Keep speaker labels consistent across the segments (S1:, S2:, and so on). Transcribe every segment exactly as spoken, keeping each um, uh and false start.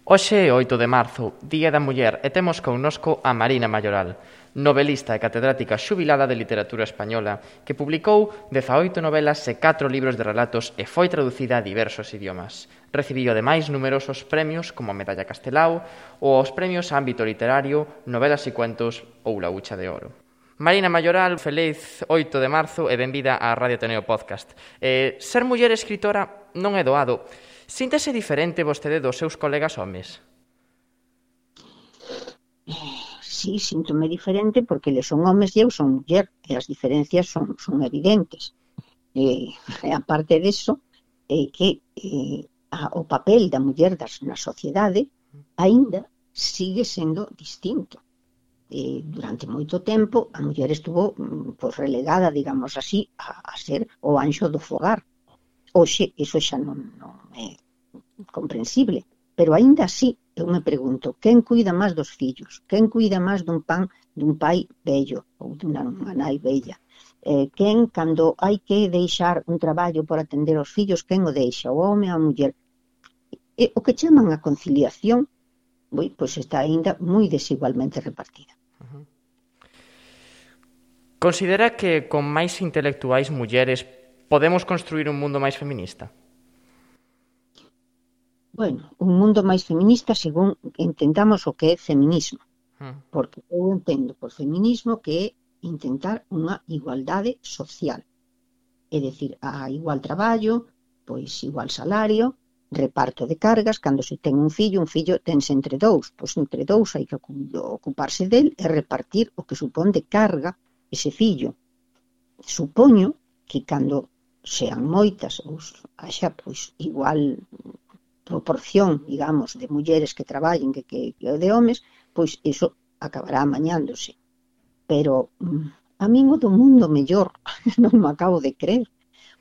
S1: Hoxe é oito de marzo, Día da Muller, e temos connosco a Marina Mayoral, novelista e catedrática xubilada de literatura española, que publicou dezaoito novelas e catro libros de relatos e foi traducida a diversos idiomas. Recibiu ademais numerosos premios como a Medalla Castelao ou os premios a ámbito literario, Novelas e Cuentos ou La Hucha de Oro. Marina Mayoral, feliz oito de marzo e benvida á Radio Ateneo Podcast. Eh, ser muller escritora non é doado. Síntese diferente vostede dos seus colegas homes?
S2: Sí, síntome diferente porque eles son homes e eu son muller e as diferencias son, son evidentes. E, e aparte disso, é que eh, a, o papel da muller das, na sociedade aínda sigue sendo distinto. E, durante moito tempo a muller estuvo pues, relegada, digamos así, a, a ser o anxo do fogar. Hoxe, iso xa non, non é comprensible, pero aínda así eu me pregunto, quen cuida máis dos fillos? Quen cuida máis dun pan dun pai vello ou dunha nai vella? Eh, quen, cando hai que deixar un traballo por atender aos fillos, quen o deixa? O home ou a muller? E, o que chaman a conciliación, boi, pois está aínda moi desigualmente repartida.
S1: Uh-huh. Considera que con máis intelectuais mulleres podemos construir un mundo máis feminista?
S2: Bueno, un mundo máis feminista según entendamos o que é feminismo. Uh. Porque eu entendo por feminismo que é intentar unha igualdade social. É dicir, a igual traballo, pois igual salario, reparto de cargas, cando se ten un fillo, un fillo tense entre dous, pois entre dous hai que ocuparse del e repartir o que supón de carga ese fillo. Supoño que cando sean moitas ou haxa pois igual proporción, digamos, de mulleres que traballen que, que, que de homes, pois iso acabará amañándose. Pero a min o do mundo mellor non me acabo de creer,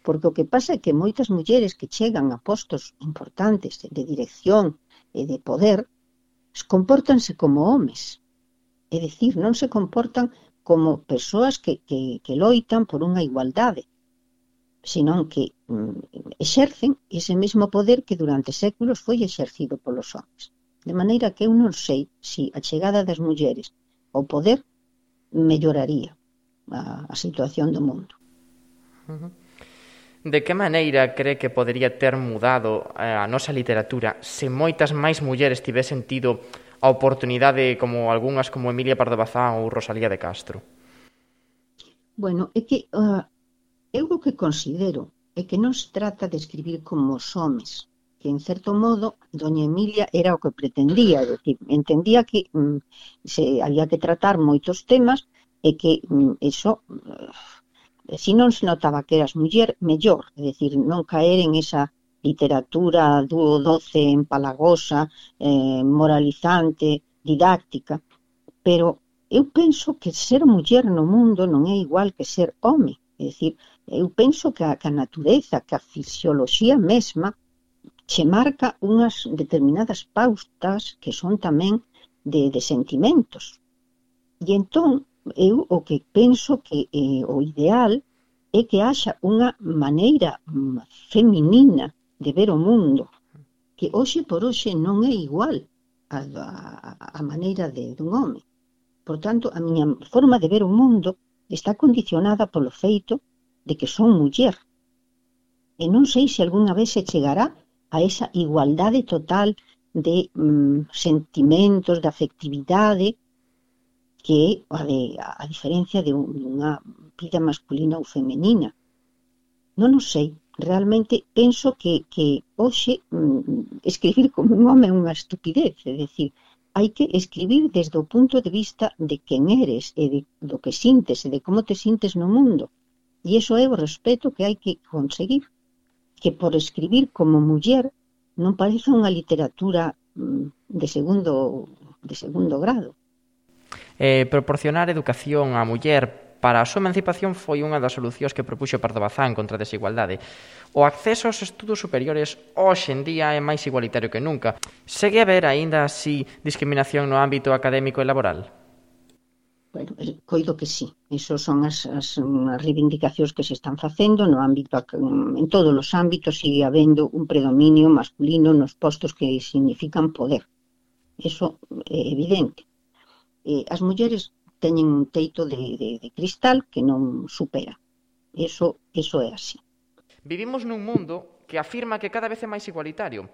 S2: porque o que pasa é que moitas mulleres que chegan a postos importantes de dirección e de poder compórtanse como homes. É dicir, non se comportan como persoas que, que, que loitan por unha igualdade, senón que mm, exercen ese mesmo poder que durante séculos foi exercido polos homens. De maneira que eu non sei se a chegada das mulleres ao poder melloraría a, a situación do mundo.
S1: Uh-huh. De que maneira cree que podería ter mudado a nosa literatura se moitas máis mulleres tivesen tido a oportunidade como algunhas como Emilia Pardo Bazán ou Rosalía de Castro?
S2: Bueno, é que uh, eu o que considero é que non se trata de escribir como os homes, que en certo modo doña Emilia era o que pretendía, é dicir, entendía que mm, se había que tratar moitos temas e que mm, eso, eh, se non se notaba que eras muller, mellor, é dicir, non caer en esa literatura dúo doce, empalagosa, eh, moralizante, didáctica, pero eu penso que ser muller no mundo non é igual que ser home. É dicir, eu penso que a, que a natureza, que a fisioloxía mesma che marca unhas determinadas pautas que son tamén de, de sentimentos. E entón, eu o que penso que eh, o ideal é que haxa unha maneira feminina de ver o mundo, que hoxe por hoxe non é igual a, a, a maneira de, dun home. Por tanto, a miña forma de ver o mundo está condicionada polo feito de que son muller. E non sei se algunha vez se chegará a esa igualdade total de mm, sentimentos, de afectividade, que é a, de, a diferencia de unha vida masculina ou femenina. Non o sei. Realmente penso que, que hoxe mm, escribir como un home é unha estupidez. É dicir, hai que escribir desde o punto de vista de quen eres e de, do que sintes e de como te sintes no mundo. E iso é o respeto que hai que conseguir. Que por escribir como muller non parece unha literatura de segundo, de segundo grado.
S1: Eh, proporcionar educación á muller para a súa emancipación foi unha das solucións que propuxo Pardo Bazán contra a desigualdade. O acceso aos estudos superiores hoxe en día é máis igualitario que nunca. Segue a haber aínda así discriminación no ámbito académico e laboral?
S2: Bueno, coido que sí. Esas son as, as, as reivindicacións que se están facendo no ámbito, en todos os ámbitos sigue habendo un predominio masculino nos postos que significan poder. Eso é evidente. Eh, as mulleres teñen un teito de, de, de cristal que non supera. Eso, eso é así.
S1: Vivimos nun mundo que afirma que cada vez é máis igualitario,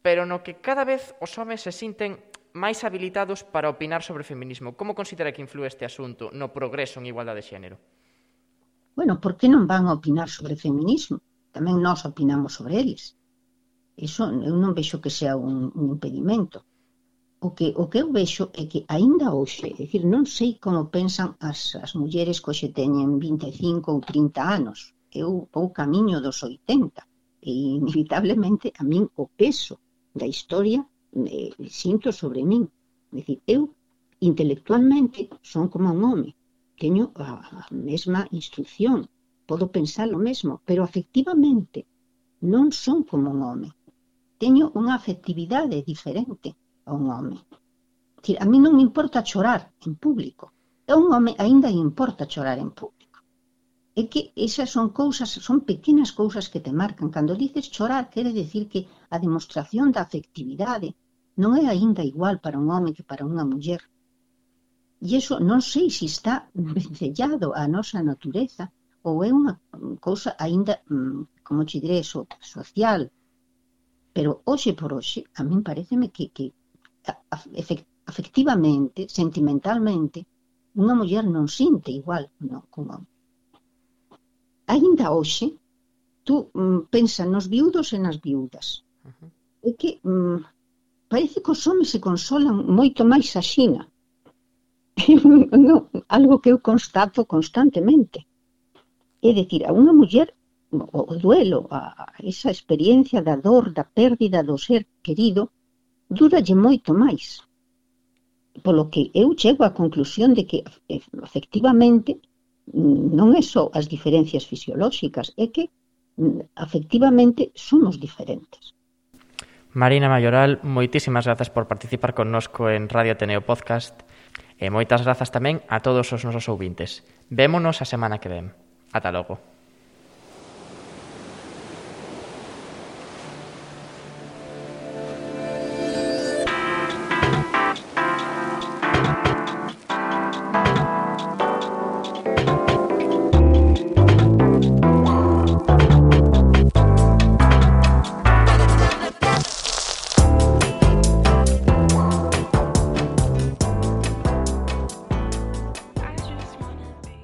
S1: pero no que cada vez os homes se sinten máis habilitados para opinar sobre feminismo. Como considera que influe este asunto no progreso en igualdade de xénero?
S2: Bueno, por que non van a opinar sobre feminismo? Tamén nós opinamos sobre eles. Iso eu non vexo que sea un, un impedimento. O que, o que eu vexo é que aínda hoxe, é dicir, non sei como pensan as, as mulleres que hoxe teñen vinte e cinco ou trinta anos. Eu vou camiño dos oitenta e inevitablemente a min o peso da historia eh, sinto sobre min. É dicir, eu intelectualmente son como un home. Teño a, a mesma instrucción, podo pensar o mesmo, pero afectivamente non son como un home. Teño unha afectividade diferente a un home. A mí non me importa chorar en público. A un home aínda importa chorar en público. É que esas son cousas, son pequenas cousas que te marcan. Cando dices chorar, quere decir que a demostración da afectividade non é aínda igual para un home que para unha muller. E iso non sei se está vencellado á nosa natureza ou é unha cousa aínda, como te diré, so, social. Pero hoxe por hoxe, a min pareceme que, que afectivamente, sentimentalmente, unha muller non sinte igual non, como home. Aínda hoxe, tú mm, pensa nos viudos e nas viudas. Uh-huh. É que mm, parece que os homens se consolan moito máis axina. No, algo que eu constato constantemente. É dicir, a unha muller, o, o duelo, a, a esa experiencia da dor, da pérdida do ser querido, duralle moito máis. Polo que eu chego á conclusión de que, efectivamente, non é só as diferencias fisiolóxicas, é que, efectivamente, somos diferentes.
S1: Marina Mayoral, moitísimas grazas por participar connosco en Radio Ateneo Podcast. E moitas grazas tamén a todos os nosos ouvintes. Vémonos a semana que ven. Ata logo.